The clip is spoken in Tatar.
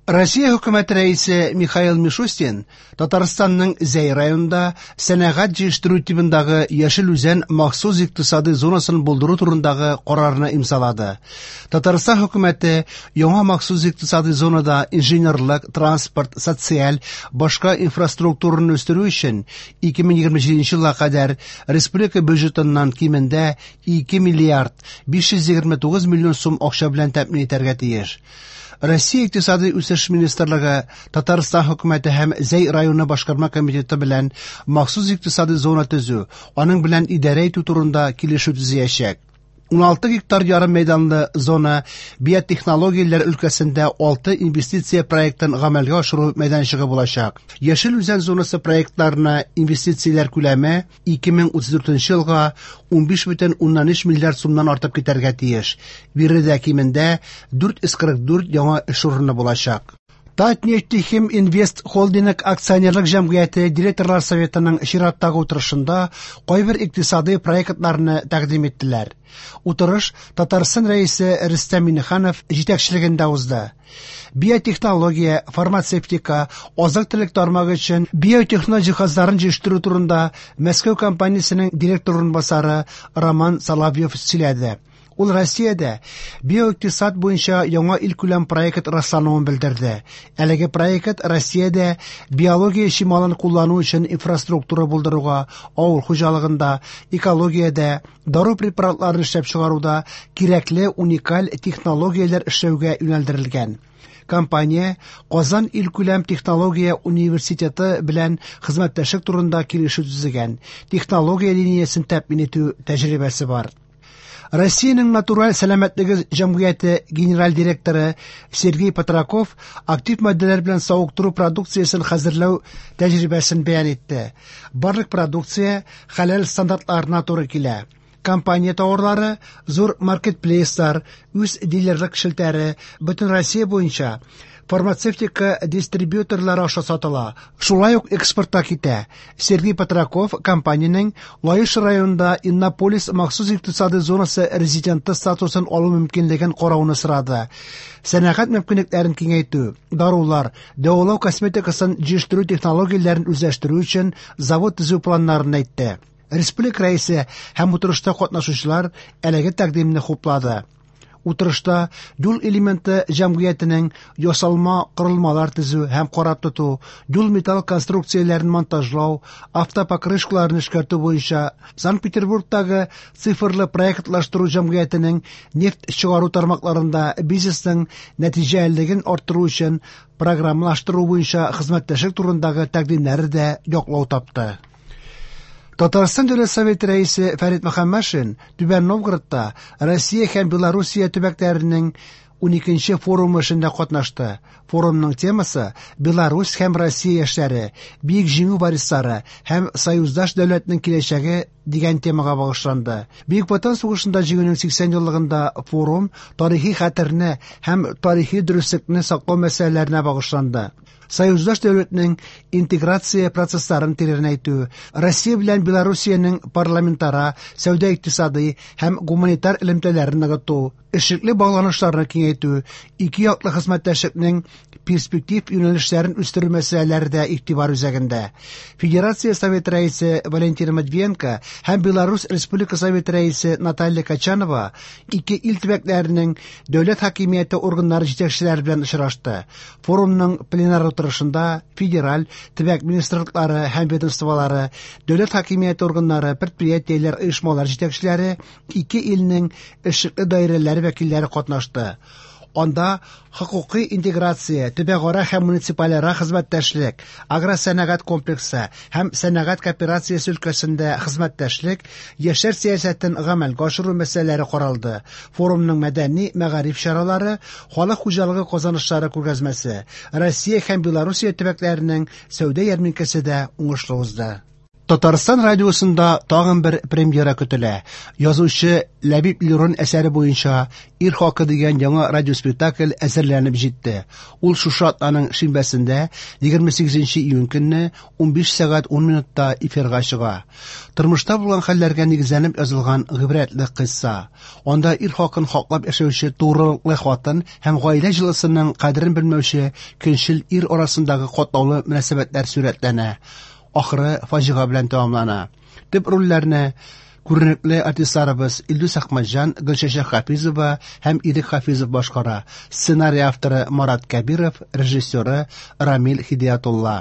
Россия хөкүмәте рәисе Михаил Мишустин Татарстанның Зәй районында сәнәгать җитештерү тибындагы Яшел Үзән махсус икътисадый зонасын булдыру турындагы карарны имзалады. Татарстан хөкүмәте яңа махсус икътисадый зонада инженерлык, транспорт, социаль, башка инфраструктураны үстерү өчен 2027 елга кадәр республика бюджетыннан кимендә 2 миллиард 529 миллион сум акча белән тәэмин итәргә тиеш. Россия Икътисадый үсеш министрлыгы Татарстан хөкүмәте һәм Зәй районы башкарма комитеты белән махсус икътисадый зона төзү, аның белән идарә итү турында килешү төзиячәк. 16 гектар ярым мәйданлы зона биотехнологияләр өлкәсендә 6 инвестиция проектын гамәлгә ашыру мәйданчыгы булачак. Яшел Үзән зонасы проектларына инвестицияләр күләме 2034 елга 15,3 миллиард сумнан артып китәргә тиеш. Биредә кимендә 444 яңа эш урыны булачак. Татнефтехим Инвест Холдинг акционерлык җәмгыяте директорлар советының чираттагы утырышында кайбер икътисадый проектларны тәкъдим иттеләр. Утырыш Татарстан Рәисе Рөстәм Миңнеханов җитәкчелегендә узды. Биотехнология, фармацевтика, азык-төлек тармагы өчен биотехно җиһазларын җитештерү турында Мәскәү компаниясенең директор урынбасары Роман Соловьев сөйләде. Ул Россиядә биоикътисад буенча яңа илкүләм проект раслануын белдерде. Әлеге проект Россиядә биология чималын куллану өчен инфраструктура булдыруга, авыл хуҗалыгында, экологиядә, дару препаратларын эшләп чыгаруда кирәкле уникаль технологияләр эшләүгә юнәлдерелгән. Компания Казан илкүләм технология университеты белән хезмәттәшлек турында килешү төзегән, технология линиясен тәэмин итү тәҗрибәсе бар. Россиянең натураль сәламәтлеге җәмгыяте генераль директоры Сергей Патраков актив матдәләр белән савыктыру продукциясен хәзерләү тәҗрибәсен бәян итте. Барлык продукция хәләл стандартларына туры килә. Компания тауарлары зур маркетплейслар, үз дилерлык челтәре, бөтен Россия буенча фармацевтика дистрибьюторлары аша сатыла, шулай ук экспортка китә. Сергей Патраков компаниянең Лаеш районында Иннополис махсус икътисадый зонасы резиденты статусын алу мөмкинлеген карауны сорады. Сәнәгать мөмкинлекләрен киңәйтү, дарулар, дәвалау косметикасын җитештерү технологияләрен үзләштерү өчен завод төзү планнарын әйтте. Республика рәисе һәм утырышта катнашучылар әлеге тәкъдимне хуплады. Утырышта юл элементы җәмгыятенең ясалма корылмалар төзү һәм карап тоту, юл металл конструкцияләрен монтажлау, автопокрышкаларны эшкәртү буенча Санкт-Петербургтагы цифрлы проектлаштыру җәмгыятенең нефть чыгару тармакларында бизнесның нәтиҗәлелеген арттыру өчен программалаштыру буенча хезмәттәшлек турындагы тәкъдимнәре дә яклау тапты. Татарстан Дәүләт Советы рәисе Фәрит Мөхәммәтшин Түбән Новгородта Россия һәм Белоруссия төбәкләренең 12нче форумы эшендә катнашты. Форумның темасы Беларусь һәм Россия яшьләре, Бөек Җиңү варислары һәм союздаш дәүләтнең киләчәге дигән темага багышланды. Бөек Ватан сугышында җиңүнең 80 еллыгында форум тарихи хәтерне һәм тарихи дөреслекне саклау мәсьәләләренә багышланды. Союздаш дәүләтнең интеграция процессларын тирәнәйтү, Россия белән Белоруссиянең парламентара, сәүдә-икътисадый һәм гуманитар элемтәләрен ныгыту, эшлекле багланышларны киңәйтү, ике яклы хезмәттәшлекнең перспектив юнәлешләрен үстерү мәсьәләләре дә игътибар үзәгендә. Федерация Советы рәисе Валентина Матвиенко һәм Беларусь Республика Советы рәисе Наталья Качанова ике ил төбәкләренең дәүләт хакимияте органнары җитәкчеләре белән очрашты. Форумның пленар утырышында федераль, төбәк министрлыклары һәм ведомстволары, дәүләт хакимияте органнары, предприятиеләр, оешмалар җитәкчеләре, ике илнең эшлекле даирәләре вәкилләре катнашты. Анда хокукый интеграция, төбәкара һәм муниципальара хезмәттәшлек, агросәнәгать комплексы һәм сәнәгать кооперациясе өлкәсендә хезмәттәшлек, яшьләр сәясәтен гамәлгә ашыру мәсьәләләре каралды. Форумның мәдәни мәгариф чаралары, халык хуҗалыгы казанышлары күргәзмәсе, Россия һәм Белоруссия төбәкләренең сәүдә ярминкәсе дә уңышлы узды. Татарстан радиосында тагын бер премьера көтелә. Язучы Ләбиб Лерон әсәре буенча «Ир хакы» дигән яңа радиоспектакль әзерләнеп җитте. Ул шушы атнаның шимбәсендә, 28 июнь көнне 15 сәгать 10 минутта эфирга чыга. Тормышта булган хәлләргә нигезләнеп язылган гыйбрәтле кыйсса. Анда ир хакын хаклап яшәүче турылыклы хатын һәм гаилә җылысының кадерен белмәүче көнчел ир арасындагы катлаулы мөнәсәбәтләр сурәтләнә. Ахыры фаҗига белән тәмамлана. Төп рольләрне күренекле артистларыбыз Илдус Әхмәтҗан, Гөлчәчәк Хафизова һәм Ирек Хафизов башкара. Сценарий авторы Марат Кәбиров, режиссеры Рамил Хидиятулла.